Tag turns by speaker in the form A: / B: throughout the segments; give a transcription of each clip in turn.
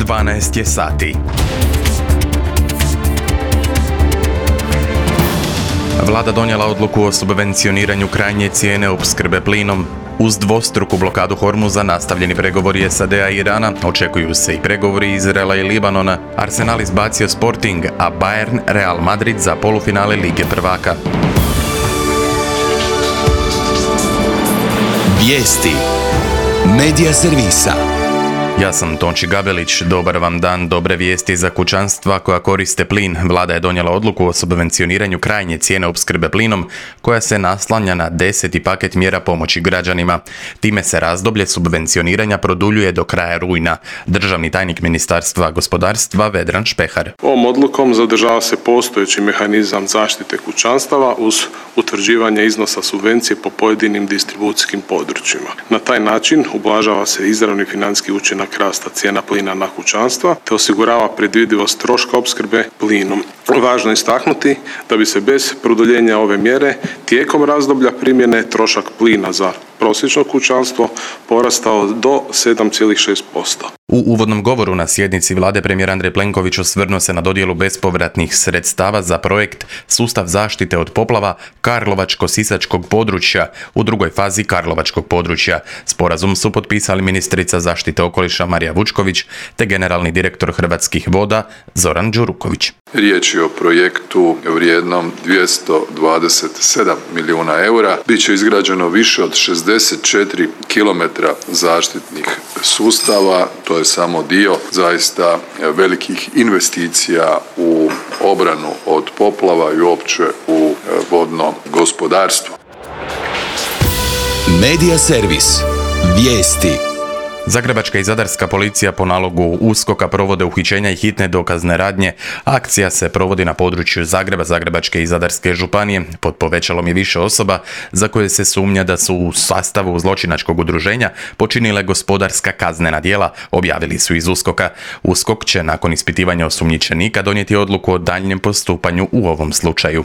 A: 12 je sati. Vlada donijela odluku o subvencioniranju krajnje cijene opskrbe plinom. Uz dvostruku blokadu Hormuza nastavljeni pregovori SAD-a i Irana, očekuju se i pregovori Izraela i Libanona. Arsenal izbacio Sporting, a Bayern Real Madrid za polufinale Lige prvaka.
B: Vijesti Medija servisa.
A: Ja sam Tonči Gabelić, dobar vam dan, dobre vijesti za kućanstva koja koriste plin. Vlada je donijela odluku o subvencioniranju krajnje cijene opskrbe plinom, koja se naslanja na 10. paket mjera pomoći građanima. Time se razdoblje subvencioniranja produljuje do kraja rujna. Državni tajnik Ministarstva gospodarstva Vedran Špehar.
C: Ovom odlukom zadržava se postojeći mehanizam zaštite kućanstava uz utvrđivanje iznosa subvencije po pojedinim distribucijskim područjima. Na taj način ublažava se izravni financijski učinak rasta cijena plina na kućanstva te osigurava predvidivost troška opskrbe plinom. Važno je istaknuti da bi se bez produljenja ove mjere tijekom razdoblja primjene trošak plina za prosječno kućanstvo porastao do 7,6%.
A: U uvodnom govoru na sjednici vlade premijer Andrej Plenković osvrnuo se na dodjelu bespovratnih sredstava za projekt Sustav zaštite od poplava Karlovačko-sisačkog područja u drugoj fazi Karlovačkog područja. Sporazum su potpisali ministrica zaštite okoliša Marija Vučković te generalni direktor Hrvatskih voda Zoran Đuruković.
D: Riječ je o projektu vrijednom 227 milijuna eura. Biće izgrađeno više od 64 km zaštitnih sustava. To je samo dio zaista velikih investicija u obranu od poplava i uopće u vodno gospodarstvo.
B: Medija servis. Vijesti.
A: Zagrebačka i zadarska policija po nalogu USKOK-a provode uhićenja i hitne dokazne radnje. Akcija se provodi na području Zagreba, Zagrebačke i Zadarske županije. Pod povećalom je više osoba za koje se sumnja da su u sastavu zločinačkog udruženja počinile gospodarska kaznena djela, objavili su iz USKOK-a. USKOK će nakon ispitivanja osumnjičenika donijeti odluku o daljnjem postupanju u ovom slučaju.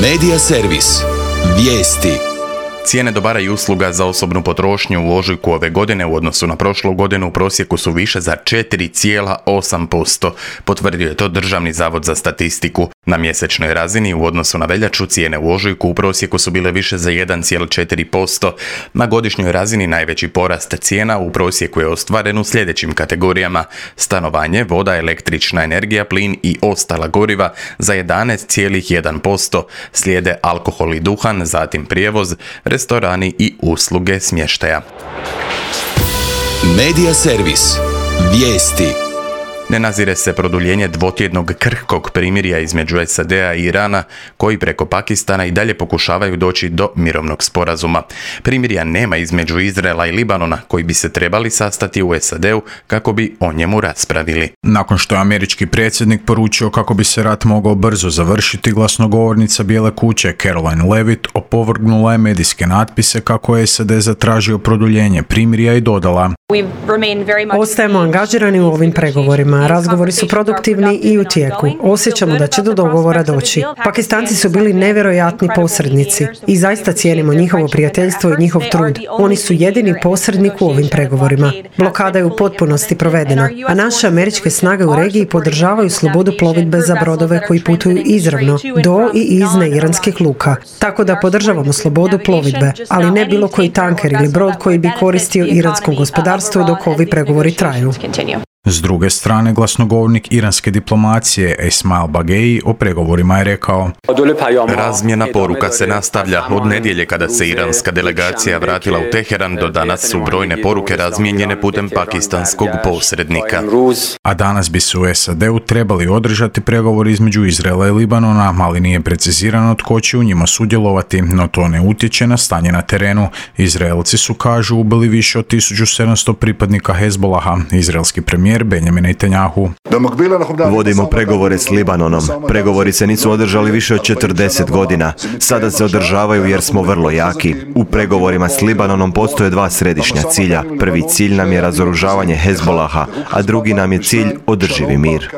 B: Medija servis. Vijesti.
A: Cijene dobara i usluga za osobnu potrošnju u ožujku ove godine u odnosu na prošlu godinu u prosjeku su više za 4,8%. Potvrdio je to Državni zavod za statistiku. Na mjesečnoj razini u odnosu na veljaču cijene u ožujku u prosjeku su bile više za 1,4%. Na godišnjoj razini najveći porast cijena u prosjeku je ostvaren u sljedećim kategorijama: stanovanje, voda, električna energija, plin i ostala goriva za 11,1%. Slijede alkohol i duhan, zatim prijevoz, restorani i usluge smještaja.
B: Medija servis. Vijesti.
A: Ne nazire se produljenje dvotjednog krhkog primirja između SAD-a i Irana, koji preko Pakistana i dalje pokušavaju doći do mirovnog sporazuma. Primirja nema između Izraela i Libanona, koji bi se trebali sastati u SAD-u kako bi o njemu raspravili.
E: Nakon što je američki predsjednik poručio kako bi se rat mogao brzo završiti, glasnogovornica Bijele kuće Caroline Levitt opovrgnula je medijske natpise kako je SAD zatražio produljenje primirja i dodala:
F: Ostajemo angažirani u ovim pregovorima. Razgovori su produktivni i u tijeku. Osjećamo da će do dogovora doći. Pakistanci su bili nevjerojatni posrednici i zaista cijenimo njihovo prijateljstvo i njihov trud. Oni su jedini posrednik u ovim pregovorima. Blokada je u potpunosti provedena, a naše američke snage u regiji podržavaju slobodu plovidbe za brodove koji putuju izravno do i iz neiranskih luka. Tako da podržavamo slobodu plovidbe, ali ne bilo koji tanker ili brod koji bi koristio iranskom gospodarstvu dok ovi pregovori traju.
E: S druge strane, glasnogovornik iranske diplomacije Esmail Bagei o pregovorima je rekao:
A: Razmjena poruka se nastavlja. Od nedjelje kada se iranska delegacija vratila u Teheran do danas su brojne poruke razmijenjene putem pakistanskog posrednika.
E: A danas bi se u SAD-u trebali održati pregovori između Izraela i Libanona, ali nije precizirano tko će u njima sudjelovati, no to ne utječe na stanje na terenu. Izraelci su, kažu, ubili više od 1700 pripadnika Hezbolaha. Izraelski premijer Benjamin Netanjahu:
G: Vodimo pregovore s Libanonom. Pregovori se nisu održali više od 40 godina. Sada se održavaju jer smo vrlo jaki. U pregovorima s Libanonom postoje dva središnja cilja. Prvi cilj nam je razoružavanje Hezbolaha, a drugi nam je cilj održivi mir.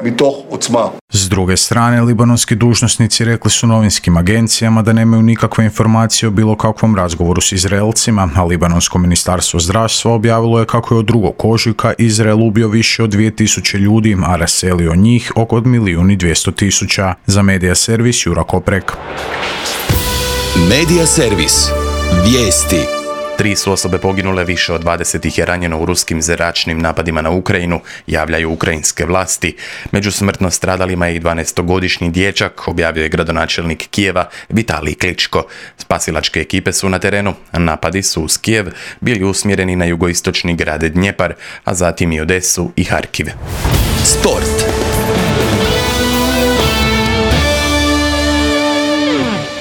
E: S druge strane, libanonski dužnosnici rekli su novinskim agencijama da nemaju nikakve informacije o bilo kakvom razgovoru s Izraelcima, a libanonsko ministarstvo zdravstva objavilo je kako je od 2. ožujka Izrael ubio više od 2000 ljudi, a raselio njih oko 1.200.000. Za Medija servis Jura Koprek.
B: Medija servis. Vijesti.
A: 3 su osobe poginule, više od 20 ih je ranjeno u ruskim zračnim napadima na Ukrajinu, javljaju ukrajinske vlasti. Među smrtno stradalima je i 12-godišnji dječak, objavio je gradonačelnik Kijeva Vitalij Kličko. Spasilačke ekipe su na terenu, napadi su uz Kijev bili usmjereni na jugoistočni grad Dnjepar, a zatim i Odesu i Harkiv.
B: Sport.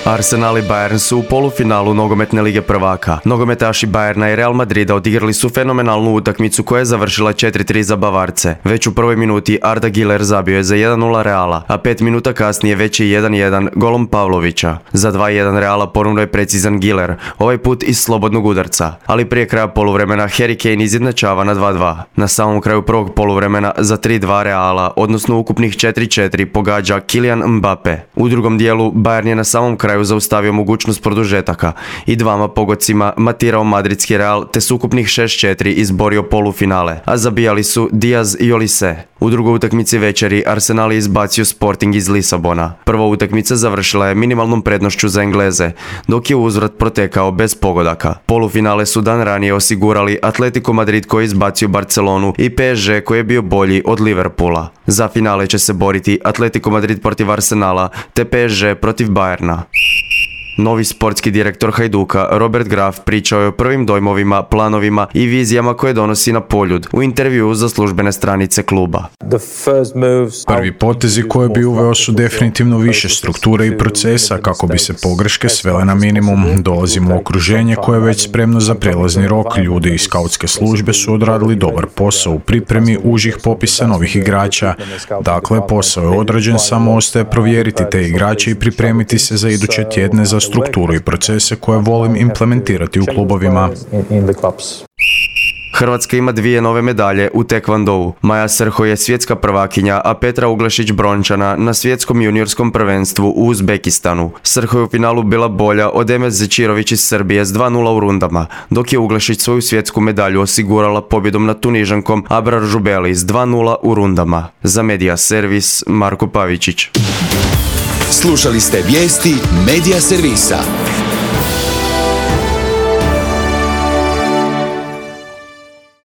H: Arsenal i Bayern su u polufinalu nogometne lige prvaka. Nogometaši Bayerna i Real Madrida odigrali su fenomenalnu utakmicu koja je završila 4-3 za Bavarce. Već u prvoj minuti Arda Güler zabio je za 1-0 Reala, a 5 minuta kasnije već je 1-1 golom Pavlovića. Za 2-1 Reala ponovno je precizan Güler, ovaj put iz slobodnog udarca. Ali prije kraja poluvremena Harry Kane izjednačava na 2-2. Na samom kraju prvog poluvremena za 3-2 Reala, odnosno ukupnih 4-4, pogađa Kylian Mbappe. U drugom dijelu Bayern je na samom kraju zaustavio mogućnost produžetaka i 2 pogodcima matirao madridski Real te s ukupnih 6-4 izborio polufinale, a zabijali su Diaz i Olise. U drugoj utakmici večeri Arsenal je izbacio Sporting iz Lisabona. Prva utakmica završila je minimalnom prednošću za Engleze, dok je uzvrat protekao bez pogodaka. Polufinale su dan ranije osigurali Atletico Madrid koji je izbacio Barcelonu i PSG koji je bio bolji od Liverpoola. Za finale će se boriti Atletico Madrid protiv Arsenala te PSG protiv Bayerna. Novi sportski direktor Hajduka, Robert Graf, pričao je o prvim dojmovima, planovima i vizijama koje donosi na Poljud u intervjuu za službene stranice kluba.
E: Prvi potezi koje bi uveo su definitivno više strukture i procesa kako bi se pogreške svele na minimum. Dolazimo u okruženje koje je već spremno za prelazni rok. Ljudi iz skautske službe su odradili dobar posao u pripremi užih popisa novih igrača. Dakle, posao je odrađen, samo ostaje provjeriti te igrače i pripremiti se za iduće tjedne za strukturu i procese koje volim implementirati u klubovima.
H: Hrvatska ima 2 nove medalje u tekvondou. Maja Srho je svjetska prvakinja, a Petra Uglešić brončana na svjetskom juniorskom prvenstvu u Uzbekistanu. Srho je u finalu bila bolja od Emes Zečirović iz Srbije s 2-0 u rundama, dok je Uglešić svoju svjetsku medalju osigurala pobjedom nad Tunižankom Abrar Žubeli s 2-0 u rundama. Za Medija servis Marko Pavičić.
B: Slušali ste vijesti Medija servisa.